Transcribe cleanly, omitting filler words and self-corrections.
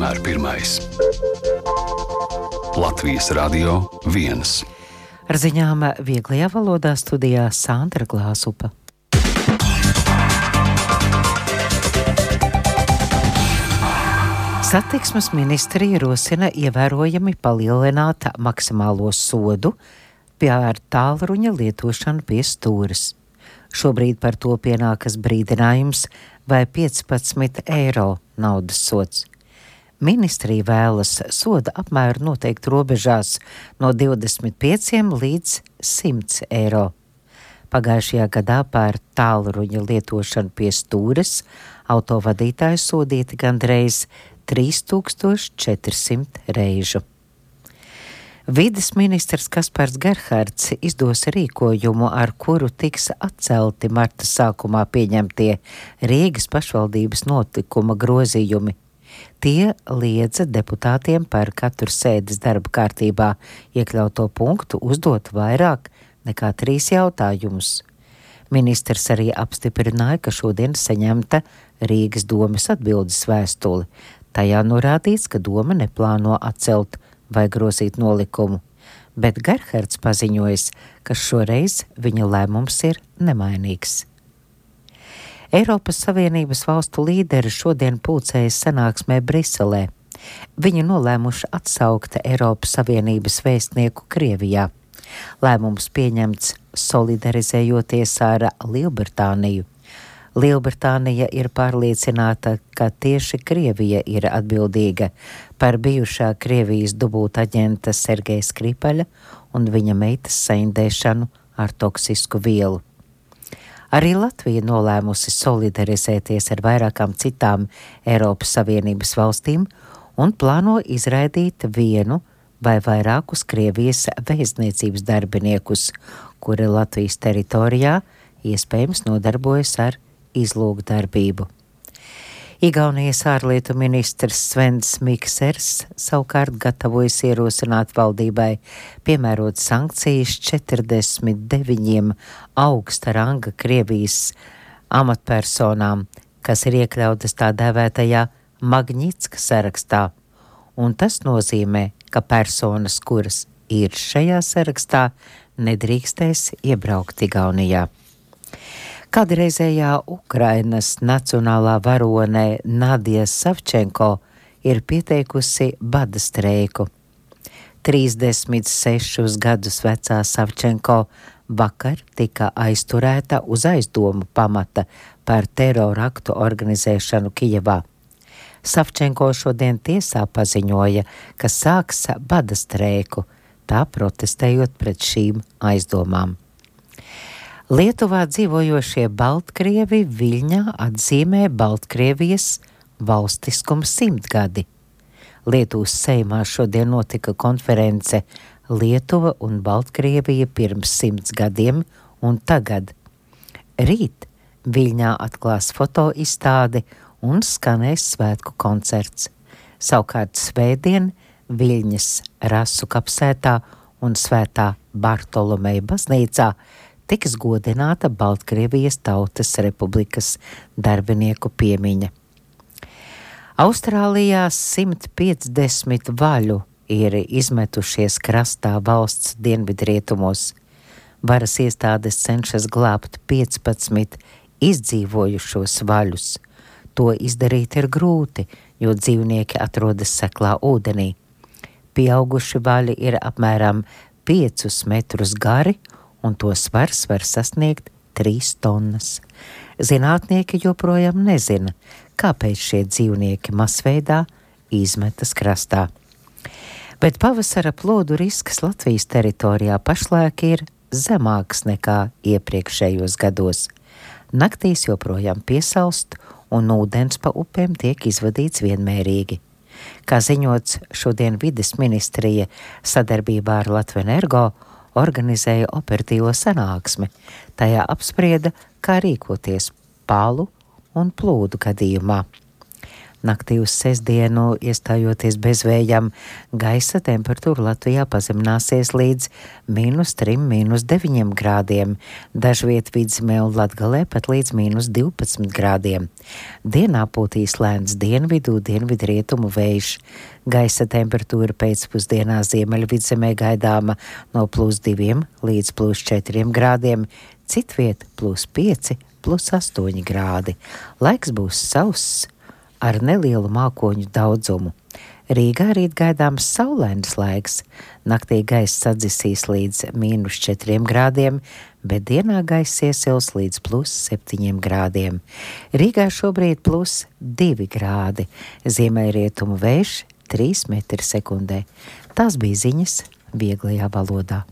vienmēr pirmais. Latvijas Radio 1. Ar ziņām vieglajā valodā studijā Sandra Glāzupa. Satiksmes ministrija rosina ievērojami palielināt maksimālo sodu par tālruņa lietošanu pie stūres. Šobrīd par to pienākas brīdinājums vai 15 eiro naudas sods. Ministrija vēlas soda apmēru noteikt robežās no 25 līdz 100 eiro. Pagājušajā gadā par tālruņa lietošanu pie stūres autovadītāji sodīti gandreiz 3400 reižu. Vides ministrs Kaspars Gerhards izdos rīkojumu, ar kuru tiks atcelti marta sākumā pieņemtie Rīgas pašvaldības notikuma grozījumi. Tie liedza deputātiem par katru sēdes darba kārtībā iekļauto punktu uzdot vairāk nekā 3 jautājumus. Ministrs arī apstiprināja, ka šodien saņemta Rīgas domes atbildes vēstule. Tajā norādīts, ka doma neplāno atcelt vai grozīt nolikumu, bet Gerhards paziņojas, ka šoreiz viņa lēmums ir nemainīgs. Eiropas Savienības valstu līderi šodien pulcējas sanāksmē Briselē. Viņi nolēmuši atsaukt Eiropas Savienības vēstnieku Krievijā. Lēmums pieņemts solidarizējoties ar Lielbritāniju. Lielbritānija ir pārliecināta, ka tieši Krievija ir atbildīga par bijušā Krievijas dubultaģenta Sergeja Skripaļa un viņa meitas saindēšanu ar toksisku vielu. Arī Latvija nolēmusi solidarizēties ar vairākām citām Eiropas Savienības valstīm un plāno izraidīt vienu vai vairākus Krievijas vēstniecības darbiniekus, kuri Latvijas teritorijā iespējams nodarbojas ar izlūkdarbību. Igaunijas ārlietu ministrs Svens Miksers savukārt gatavojas ierosināt valdībai piemērot sankcijas 49 augsta ranga Krievijas amatpersonām, kas ir iekļautas tā dēvētajā Magnitska sarakstā, un tas nozīmē, ka personas, kuras ir šajā sarakstā, nedrīkstēs iebraukt Igaunijā. Kādreizējā Ukrainas nacionālā varone Nadija Savčenko ir pieteikusi bada streiku. 36 gadus vecā Savčenko vakar tika aizturēta uz aizdomu pamata par teroraktu organizēšanu Kijevā. Savčenko šodien tiesā paziņoja, ka sāks bada streiku, tā protestējot pret šīm aizdomām. Lietuvā dzīvojošie Baltkrievi Viļņā atzīmē Baltkrievijas valstiskuma 100 gadi. Lietuvas Seimā šodien notika konference Lietuva un Baltkrievija pirms 100 gadiem un tagad. Rīt Viļņā atklās fotoizstādi un skanēs svētku koncerts. Savukārt svētdien Viļņas Rasu kapsētā un Svētā Bartolomeja baznīcā tiks godināta Baltkrievijas Tautas Republikas darbinieku piemiņa. Austrālijā 150 vaļu ir izmetušies krastā valsts dienvidrietumos. Varas iestādes cenšas glābt 15 izdzīvojušos vaļus. To izdarīt ir grūti, jo dzīvnieki atrodas seklā ūdenī. Pieauguši vaļi ir apmēram 5 metrus gari, un to svars var sasniegt 3 tonnas. Zinātnieki joprojām nezina, kāpēc šie dzīvnieki masveidā izmetas krastā. Bet pavasara plodu risks Latvijas teritorijā pašlaik ir zemāks nekā iepriekšējos gados. Naktīs joprojām piesalst, un ūdens pa upēm tiek izvadīts vienmērīgi. Kā ziņots, šodien vides ministrija sadarbībā ar Latvenergo organizēja operatīvo sanāksmi. Tajā apsprieda, kā rīkoties pālu un plūdu gadījumā. Naktī uz sestdienu, iestājoties bezvējam, gaisa temperatūra Latvijā pazemināsies līdz -3, -9 grādiem, dažviet Vidzemē un Latgalē pat līdz -12 grādiem. Dienā pūtīs lēns dienvidu, dienvidrietumu vējš. Gaisa temperatūra pēcpusdienā Ziemeļvidzemē gaidāma no +2 līdz +4 grādiem, citviet +5, +8 grādi. Laiks būs sauss ar nelielu mākoņu daudzumu. Rīgā rīt gaidāms saulains laiks. Naktī gaiss sadzisīs līdz -4 grādiem, bet dienā gaiss iesils līdz +7 grādiem. Rīgā šobrīd +2 grādi. Ziemeļrietumu vējš 3 metri sekundē. Tās bija ziņas vieglajā valodā.